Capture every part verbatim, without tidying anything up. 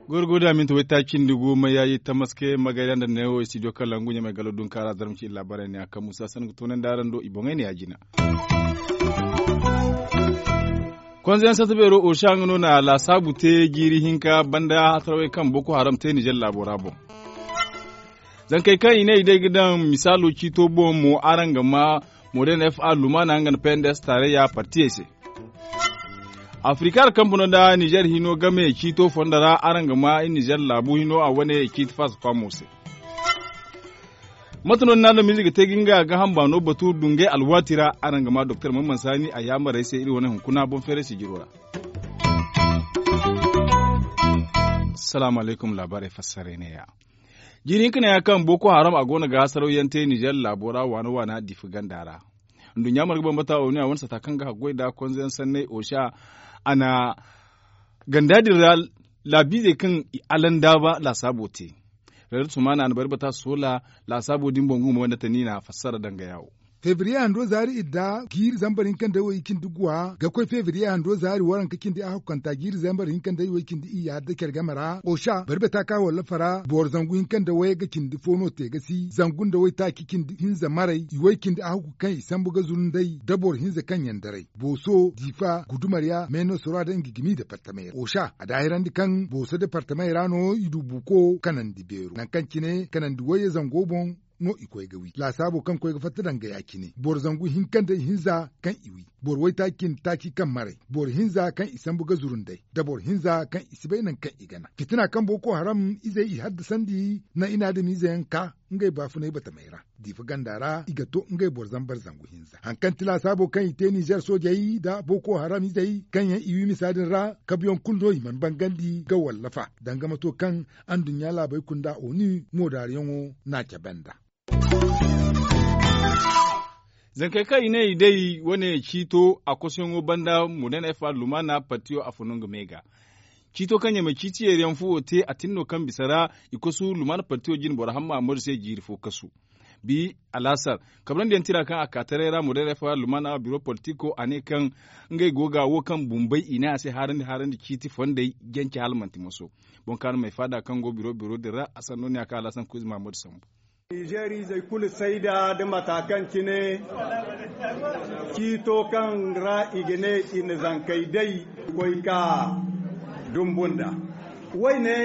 Gorgo da minti wayta cindi gu ma yaayi tamaske magayra nda neewo studio kalangu ɲamay galo dunkaara zarma ci iri laabaarey ne a kaŋ musa sanni ga toonandi araŋ do i boŋey ne ya jina. Konze yaŋ sata beero osa nga no na laasaabu te jiiri hinka banda hatarawey kaŋ boko haram te nizer laabo ra boŋ. Zankey kaŋ i ne i day ga daŋ misaalo ciito boŋ mo araŋ ga ma modern fa lumaana nga na pnds taarayya partiyey se. Afrika alkampanoo nda nizer hino game ciito fondo ra araŋ ga ma i nizer laabu hino a wane ciiti faasa faamo se. Mate no ni na adamize ga te ga nga gaaham baano batu dungay alwaati ra araŋ ga ma doktor mamman saani a yaamarey se iri wane hunkuna boŋ feeray sijiro ra. Salaamu alaykum laabaarey fassaray neeya. Jiiri hinka neeya kaŋ boko haram a go no ga hasaraw yaŋ te nizer laabo ra waana waana diifa ganda ra. Nduɲɲa marga bambata onu a wane sata kaŋ ga haggoy nda konze yaŋ sanney osa a na ganda din ra laabiizey kaŋ i alandaaba laasaabo te. Reer sumaana a na bari bata soola laasaabo din boŋ gumo nda tani na fassara danga yaawo. Febriye hando zaari idda jiiri zambar hinka nda way cindi guwa ga koy febriye hando zaari waranka cindi a hukkanta jiiri zambar hinka nda way cindi iyya da care game ra osa bari bata ka wallafa ra boro zangu hinka nda way ga cindi fo no te ga si zangu nda way taaci cindi hinza maray i way cindi a hukku kaŋ i sambu ga zuru nday da boro hinza kaŋ yaŋ daray booso diifa gudumariya meeno sora da nga gimi da partamay ra osa a daahirandi kaŋ booso da partamay ra no i du buuko kanandi beero nangu kaŋ cine kanandi wayye zango boŋ no i koy ga wi laasaabo kaŋ koy ga fatta danga ya- cine boro zangu hinka nda ihinza kaŋ i wi boro waytaaci cindi taaci kaŋ maray boro hinza kaŋ i sambu ga zuru nday da boro hinza kaŋ i si bay nangu kaŋ i ga naŋ fitina kaŋ boko haram izey i haddasandi naŋ i na adamiize yaŋ ka ngey baafunay batamey ra diifa ganda ra i ga to ngey boro zambar zangu hinza hari kaŋ ti laasaabo kaŋ i te nizer soojey nda boko haram izey kaŋ yaŋ i wi misa din ra kabuyaŋ kulu no i mana bangandi ga wallafa danga mato kaŋ anduɲɲa laabey kunda onu moodaariyaŋo n'a cabe nd'a. Zankey kaŋ i ne i day wane ciito a kosoyaŋo banda modern fa lumaana partiyo a fo no nga me ga ciito kaŋ ɲamay ciiti yeeriyaŋ fuwo te a tin no kaŋ bisa ra i kosu lumaana partiyo jine boro hamma ammadu se jiiri fo kasu bi alaasar kabrandi yaŋ tira kaŋ a ka taray ra modern fa lumaana biro politiko a ne kaŋ ngey go ga wo kaŋ bumbey i ne a se haarandi haarandi ciiti fondey jance hala manti moso boŋ kaŋ a na may faada kaŋ go biro biro din ra a sanno ne a kaŋ alaasar kuuzi mahammadu sambu. Nizeer izey kulu sayda nda mata kaŋ cine ciito kaŋ ra i ga ne i na zankey day koy ka dumbu nd'a. Wayne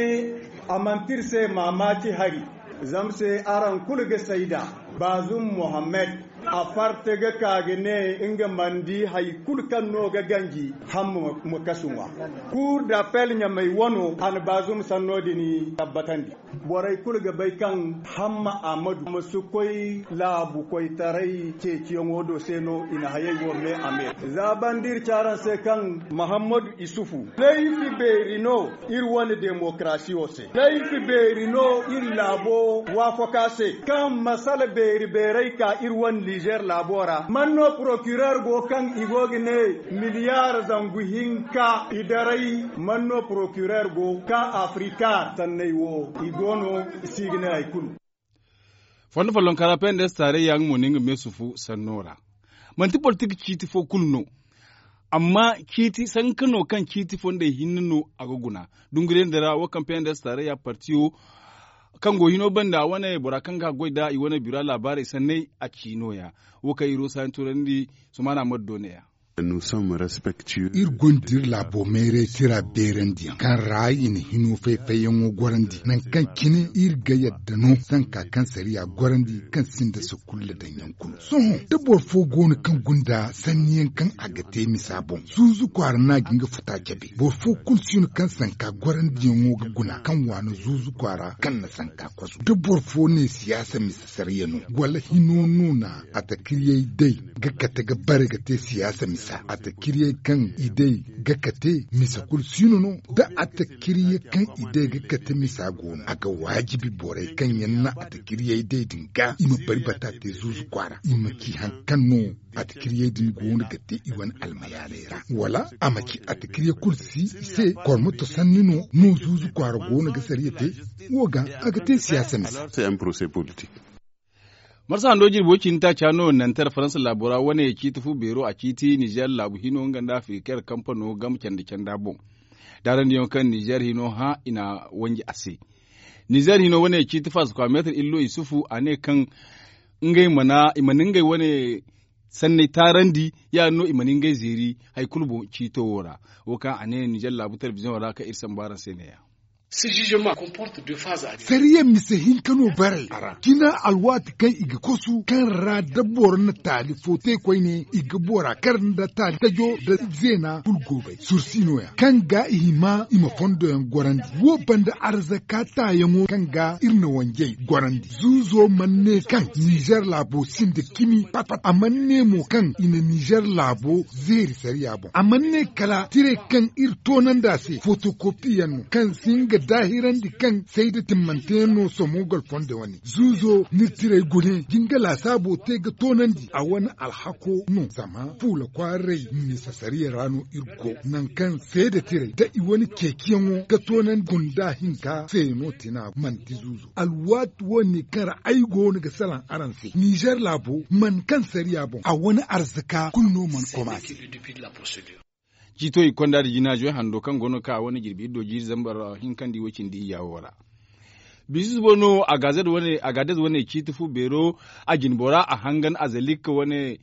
a manti iri se maamaaci hari zama se araŋ kulu ga sayda baazum mohammed a farte ga ka ga ne nga mana di hari kulu kaŋ no ga ganji hamma ma kasu ŋwa. Kuur d'appel ɲamay wano a na baazum sanno din tabbatandi. Borey kulu ga bay kaŋ hamma ahmadu ma si koy laabu koytaray ceeciyaŋo do se no i na hayey wo me a me. Za banda iri ci araŋ se kaŋ mahammadu isufu laifi beeri no iri wane demokarasiyo se. Laifi beeri no iri laabo waafakaa se kaŋ masala beeri beeray ka iri wane nizer laabo ra man no porokirer go kaŋ i go ga ne miliyaar zangu hinka i daray man no porokirer go ka afrika sanney wo i go no i si ga ne hari kulu. Fondo follonka ra pnds taarayya nga mo ne nga meesufu sanno ra manti politik ciiti fo kulu no. Amma ciiti sanka no kaŋ ciiti fondey hinne no a ga guna dunguriyandi ra wo kaŋ pnds taarayya partiyo kaŋ go hino banda wane bora kaŋ ga goy da i wane bira laabaarey sanney a ci nooya. Wo kaŋ iri wo saayaŋ turandi sumaana mari do neeya. Iri gonda iri laabo mayray tira beerandiyaŋ kaŋ ra i na hino fay-fayyaŋo gorandi nangu kaŋ cine iri ga yadda no sanka kaŋ sariya gorandi kaŋ sinda sukulla daŋyaŋ kulu sohõ da boro fo go no kaŋ gunda sanniyaŋ kaŋ a ga te misa boŋ zuuzu kwaara no a ga nga futa cabe boro fo kulu si no kaŋ sanka gorandiyaŋo ga guna kaŋ waana zuuzu kwaara kaŋ na sanka kwasu da boro fo ne siyaasa misa sariya no wala hino no na a takiriyey day ga kate ga bare ga te siyaasa misa. Attakiryey kaŋ i day ga kate misa kulu siino no. Da attakiryey kaŋ i day ga kate misa go no, a ga waajibi borey kaŋ yaŋ na attakiryey day din ga i ma bari bata te zuuzu kwaara, i ma ci hari kaŋ no attakiryey din go no ga te i wane almayaaley ra, wala a ma ci attakirye kulu si i se. Kormoto sanni no no zuuzu kwaara go no ga sariya te. Wo ga a ga te siyaasa mise. Marsa hando jirbi wo cindi taaca no nantar faransa laabo ra wane ciiti fu beero a ciiti nizeer laabu hino nga nda afirikar kampano game canda canda boŋ. Daarandiyaŋo kaŋ nizeer hino hã i na wanji a se. Nizeer hino wane ciiti faasa kwa meetar illo isufu a ne kaŋ ngey mana i mana ngey wane sanney taarandi. Ya- din no i mana ngey zeeri hari kulu boŋ ciito wo ra. Wo kaŋ a ne nizeer laabu telebiziyoŋo ra kaŋ iri samba araŋ se ne- ya. Sariya mise hinka no baray a ra jina alwaati kaŋ i ga kosu kaŋ ra da boro na taali fo te koyne i ga bora kar nda taali tajo nda zeena kulu go bay sursi no- ya kaŋ ga i hima i ma fondo yaŋ gorandi. Wo banda arzaka taayaŋo kaŋ ga iri na wanjey gorandi. Zuuzo mana ne kaŋ nizeer laabo sinda cimi pat pat a mana ne mo kaŋ i na nizeer laabo zeeri sariya boŋ a mana ne kala tirey kaŋ iri toonandi a se fotokopi yaŋ no kaŋ si nga daahirandi kaŋ sayda timmante yaŋ no somo golfondo wane zuuzo ni tirey gune jinga laasaabo te ga toonandi a wane alhako no zama fuula kwaarey misa sariya ra no iri go nangu kaŋ seeda tirey da i wane ceeciyaŋo ga toonandi gunda hinka se no tina manti zuuzo alwaati wo ne kaŋ ra ay go no ga salaŋ araŋ se nizeer laabo mana kaŋ sariya boŋ a wane arzaka kulu no mana komaase. Ciito i konda da jinaajo hando kaŋ go no ga ka a wane jirbi iri do jiiri zambar hinka nda i wo cindi iyya wo ra. Biisu suba no agaadez wane ciiti fu beero a jinbora a hangan azalikka wane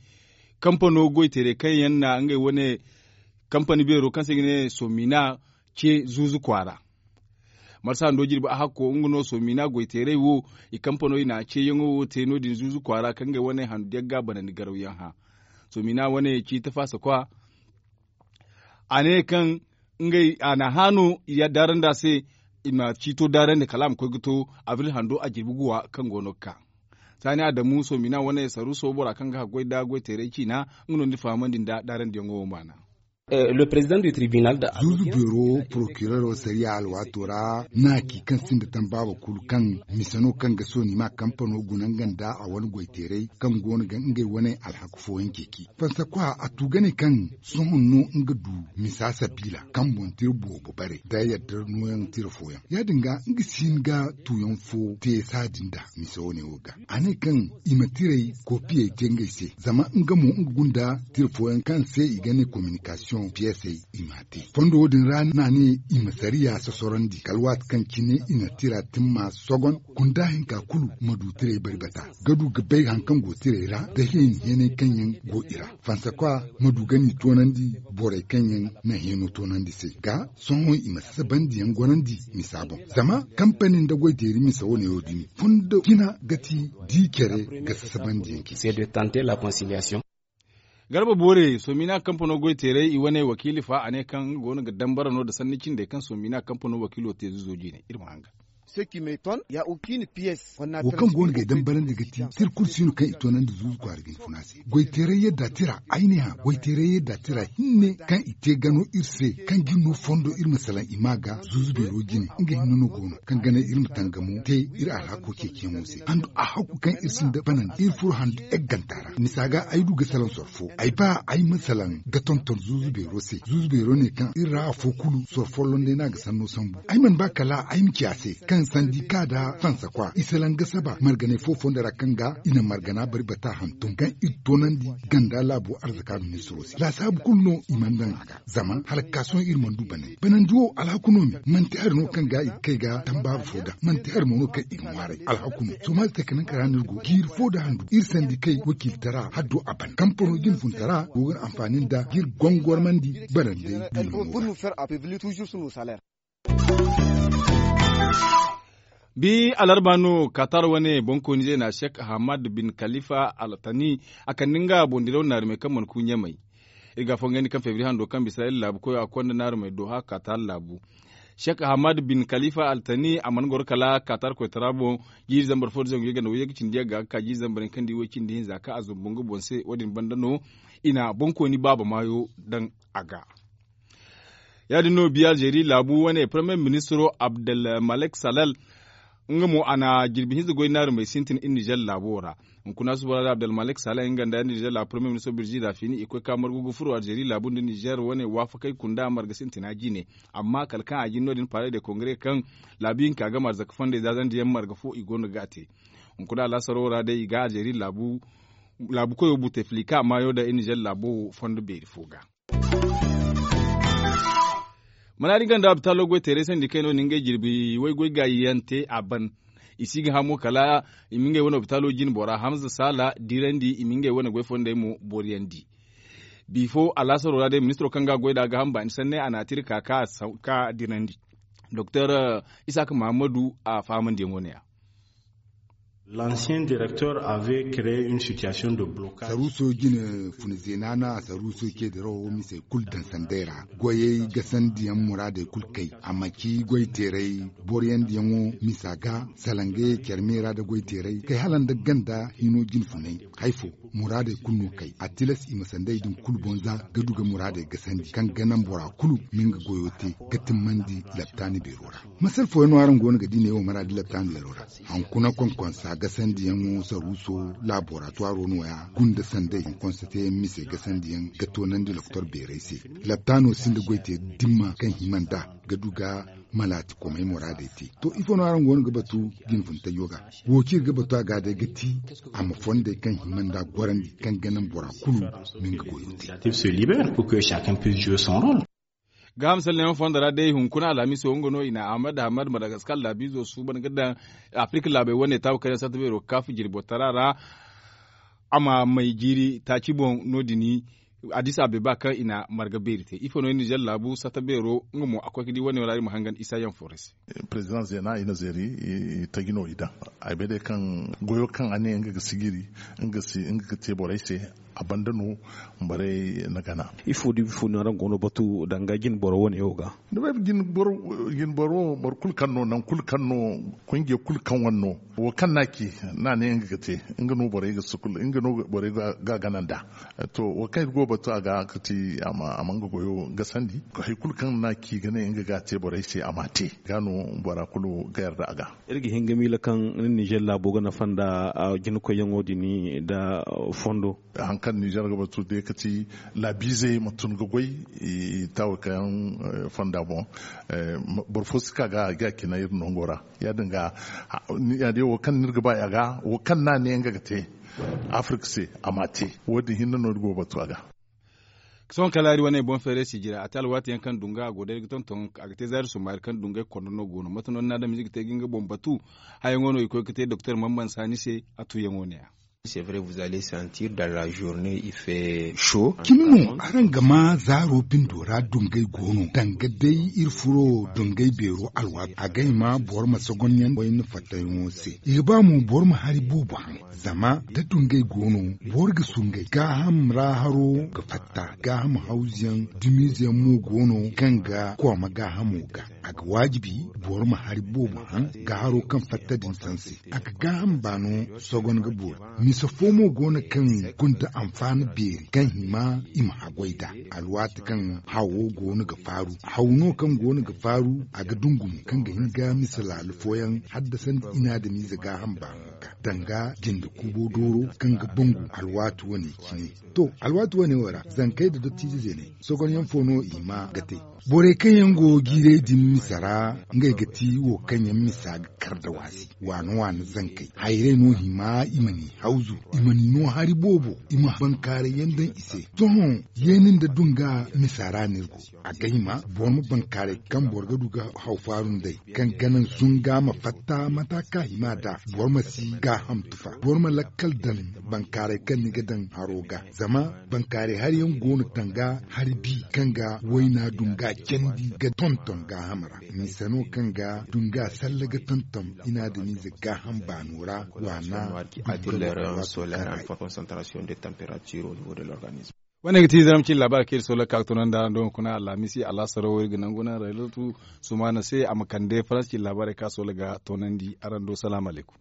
kampano goyteeray kaŋ yaŋ na ngey wane kampani beero kaŋ se i ga ne somina ce zuuzu kwaara. Marsa hando jirbi a hakko nga no somina goyteeray wo i kampano i na ceeyaŋo wo te no- din zuuzu kwaara kaŋ ngey wane handu diyaŋ ga a banandi garawyaŋ hã. Somina wane ciiti faasa kwa a ne kaŋ ngey a na hã no i daarandi a se i ma ciito daarandi kala a ma koy ga to abril hando a jirbi guwa kaŋ go no ga ka. Saani adamu somina wane saruuso bora kaŋ ga haggoy nda goyteeray ciina nga no ni fahamandi nda daarandiyaŋo wo maana. Zuuzu beero porokireero sariya alwaato ra na ci kaŋ sinda tambaaba kulu kaŋ mise no kaŋ ga sooni ma kampano guna nga nda a wane goyteeray kaŋ go no ga ngey wane alhaku fooyaŋ ceeci fansakwa a tu ga ne kaŋ sohõ no nga du misa sabiila kaŋ boŋ tira boobo bare da yadda nooyaŋ tira fooyaŋ ya- din ga nga si hin ga tuuyaŋ fo te saadin da mise wane wo ga a ne kaŋ i ma tirey koopiyey te ngey se zama nga mo nga gunda tira fooyaŋ kaŋ se i ga ne kominikasiyoŋ piyesey i m'a te fondo wo- din ra no a ne i ma sariya sosorandi kala waati kaŋ cine i na tira timma sogon gunda hinka kulu ma du tirey bari bata ga du ga bay hari kaŋ go tirey ra da heeni heenay kaŋ yaŋ go i ra fansakwa ma du ga ni toonandi borey kaŋ yaŋ na heeno toonandi se ga sohõ i ma sasabandiyaŋ gorandi misa boŋ zama kampani nda goyteeri misa wane wo- din fondo cina ga ti di care ga sasabandiyaŋ cine. Garba boore somina kampano goyteeray i wane wakiili fa a ne kaŋ nga go no ga dambara no nda sanni cindey kaŋ somina kampano wakiilo te zuuzo jine iri ma hanga. Wo kaŋ go no ga ay dambarandi ga ti tira kulu si no kaŋ i toonandi zuuzu kwaara ga ni funa se goyteeray yadda tira ay ne hã goyteeray yadda tira hinne kaŋ i te gano iri se kaŋ ga iri no fondo iri ma salaŋ i ma ga zuuzu beero jine nga hinne no go no kaŋ ga naŋ iri ma tangamo te iri alhako ceeciyaŋo se handu a hakku kaŋ iri sinda banandi iri furo handu egganta ra misa ga ay du ga salaŋ soro fo ay ba ay ma salaŋ ga tonton zuuzu beero se zuuzu beero ne kaŋ iri ra afo kulu soro folloŋ day no a ga sanno sambu ay mana ba kala ay ma ci a se kaŋ sandika nda fansakwa i salaŋ ga saba marganay fo fondo ra kaŋ ga i na margana bari bata hantum kaŋ iri toonandi ganda laabo arzaka ministiro se laasaabu kulu no i mana daŋ a ga zama hala ga ka sohõ iri mana du banandi banandi wo alhaku no me manti hari no kaŋ ga i ga kay ga tambaaba fo ga manti hari mo no kaŋ i ga ŋwaaray alhaku no sohõ ma se kala nanka ra no iri go jiiri fo nda handu iri sandikey wakiiltara haddo a ban kampano jinfuntara go ga anfaani nda ga iri gongormandi banandey. Bi alarba no katar wane boŋkooni zeena shek hamad bin kalifa altani a kande nga boŋ diraw naarumey kaŋ mana ku ɲamey. Iri ga a fongandi kaŋ febri hando kaŋ bisa iri laabu koyo a konda naarumey doha katar laabu. Shek hamad bin kalifa altani a mana goro kala katar koytara boŋ. Jiiri zambar fo da zangu yaganda way yaga cindi yaga ga ka jiiri zambar yaŋ kaŋ di way cindi hinza kaŋ a zumbu nga boŋ se wo- din banda no i na boŋkooni baaba maayo daŋ a ga. Ya- din no biya alzeeri laabu wane paremiye ministiro abdelmalek salal nga mo a na jirbi hinza goy naari may sintin iri nizer laabo ra. Hunkuna suba ra da abdelmalek salal nga nda iri nizer laabu paremiye ministiro birzi rafini i koy ka margu ga furo alzeeri laabu nda nizer wane waafakey kunda marga sintina jine. Amma kala kaŋ a jin no- din pare de kongare kaŋ laabu hinka ga marza ga fondey zaazandi yaŋ marga fo i go no ga a te. Hunkuna alaasaro ra day i ga alzeeri laabu koyo buteflika maayo da iri nizer laabo fondo beeri fo ga. Mana di ganda abitalo goy teeray sandi kayno ni ngey jirbi way goy gaayi yaŋ te a ban. I si ga hamo kala i ma ngey wane abitalo jin bora hamza sala dirandi i ma ngey wane goy fondey mo boriyandi. Bifo alaasaro ra day ministiro kaŋ ga goy da a ga hamba ni sanney a na a tiri ka ka dirandi. Doktor isaaka mahammadu a fahamandiyaŋo ne ya. L'ancien directeur avait créé une situation de blocage. Saruuso jine funa zeena na saruuso ceedirawo misey kulu daŋ sanday ra. Goyey gasandiyaŋ muraadey kulu kay a ma ci goyteeray boroyandiyaŋo misa ga salangey care me ra nda goyteeray kay hala nda ganda hino jine funay. Hay fo muraadey kulu no kay a tilas i ma sanday din kulu boŋ za ga du ga muraadey gasandi kaŋ ga naŋ bora kulu ma nga goyo te ga timmandi laptaani beero ra. Masal fooyaŋ no araŋ go no ga di neewo maraadi laptaani beero ra. Hankuna konkonsa gasandiyaŋo saruuso laboratwaro no- ya gunda sanday konkonsa teeyaŋ mise gasandiyaŋ ga toonandi loktor beerey se. Laptaano sinda goy te dimma kaŋ hima nd'a ga du ga malaati komey muraadey te. To ifo no araŋ go no ga batu jinfuntajo ga? Wo kaŋ iri ga batu a ga day ga ti a ma fondey kaŋ hima nd'a gorandi kaŋ ga naŋ bora kulu ma nga goyo te. Gaaham salleyaŋo fondo ra day hunkuna alhamiso nga no i na ahmad ahmad madagaskar laabiizo suuban ga daŋ afirik laabey wane taabu kaŋ yaŋ satta beero ga kaafu jirbo tara ra. A ma may jiiri taaci boŋ no- din addis abeba kaŋ i na marga beeri te ifo no nizer laabu satta beero nga mo a koy ga di wane ra iri ma hangan isa yaŋ fo ra se. President zeena i na zeeri i taji no i daŋ ay bay day kaŋ goyo kaŋ a ne nga ga sijiri nga ga te borey se. A banda no borey na gana. Ifo da ifo no araŋ go no batu danga jine boro wane wo ga? Ni bay jine boro boro kulu kaŋ no nangu kulu kaŋ no konje kulu kaŋ wane no wo kaŋ no a ci no a ne nga ga te nga no borey ga sukul nga no borey ga gana nd'a. To wo kaŋ iri go batu a ga ga ti a ma nga goyo gasandi hari kulu kaŋ no a ci ga ne nga ga a te borey se a m'a te ga no bora kulu ga yarda a ga. Iri ga hin ga miila kaŋ ni nizer laabo ga nafa nda jinakoyyaŋo din nda fondo. Hari kaŋ nizer ga batu day ga ti laabiizey ma tun ga goy i taawo kaŋ yaŋ fonda boŋ. Boro fo si ka ga a ga a cina iri nango ra. Ya- din ga wo kaŋ no iri ga ba a ga wo kaŋ no a ne nga ga te afirik se a m'a te. Wo- din hinne no iri go ga batu a ga. Sohõ kala iri wane boŋ feeray sijira a te alwaati yaŋ kaŋ dunga a go day ga tonton a ga te zaari summaari kaŋ dungay kondo no go no mate no ni na adamize ga te ga nga boŋ batu. Hayaŋo no i koy ga te doktor mamman saani se. A tuuyaŋo ne- ya. Cimi no araŋ ga ma zaaro bindo ra dungay go no danga day iri furo dungay beero alwaati a ga hima boro ma sogonyaŋ wayna fattayaŋo se i ga ba mo boro ma hari boobo haŋ. Zama da dungay go no boro ga sungay gaaham ra haro ga fatta gaaham hawzuyaŋ dumiizeyaŋ mo go no kaŋ ga kooma gaahamo ga. A ga waajibi boro ma hari boobo haŋ ga haro kaŋ fatta din sanse. A ga gaaham baano sogon ga boori. Mise fo mo go no kaŋ gonda anfaani beeri kaŋ hima i ma haggoy nd'a. Alwaati kaŋ hawo go no ga faaru haw no kaŋ go no ga faaru a ga dungu mo kaŋ ga hin ga mise laala fooyaŋ haddasandi inaadamiize gaaham baano ga danga jinde kuubo dooro kaŋ ga bangu alwaati wane cine. To alwaati wane wo ra zankey nda dottiize zeeney sogonyaŋ fo no i hima ga te. Borey kaŋ yaŋ go jiirey din misa ra ngey ga ti wo kaŋ yaŋ misa ga kar nda waasi waana waana zankey hayrey no hima i ma ni hawzu i ma ni no hari boobo i ma bankaaray yaŋ daŋ i se. Sohõ yeeni nda dunga misa ra no iri go. A ga hima boro ma bankaaray kaŋ boro ga du ga haw faaru nd'ey kaŋ ga naŋ sunga ma fatta mata kaŋ a hima nd'a. Boro ma si gaaham tufa boro ma lakkal daŋ bankaaray kaŋ ni ga daŋ haro ga. Zama bankaaray hari yaŋ go no tanga hari bi kaŋ ga wayna dunga candi ga tonton gaaham ra. Mise no kaŋ ga dunga salla ga tonton inaadamiize gaaham baano ra waana. Banda ra waati kaŋ ra i Wane ga ti zaramci laabaarey kaŋ iri soola ga ka ga toonandi araŋ do hunkuna alhamiisi alhasaro wo iri ga nangu naŋ rayzatu sumaana se a ma kande faransi laabaarey kaŋ a soola ga toonandi araŋ do salaamu alaykum.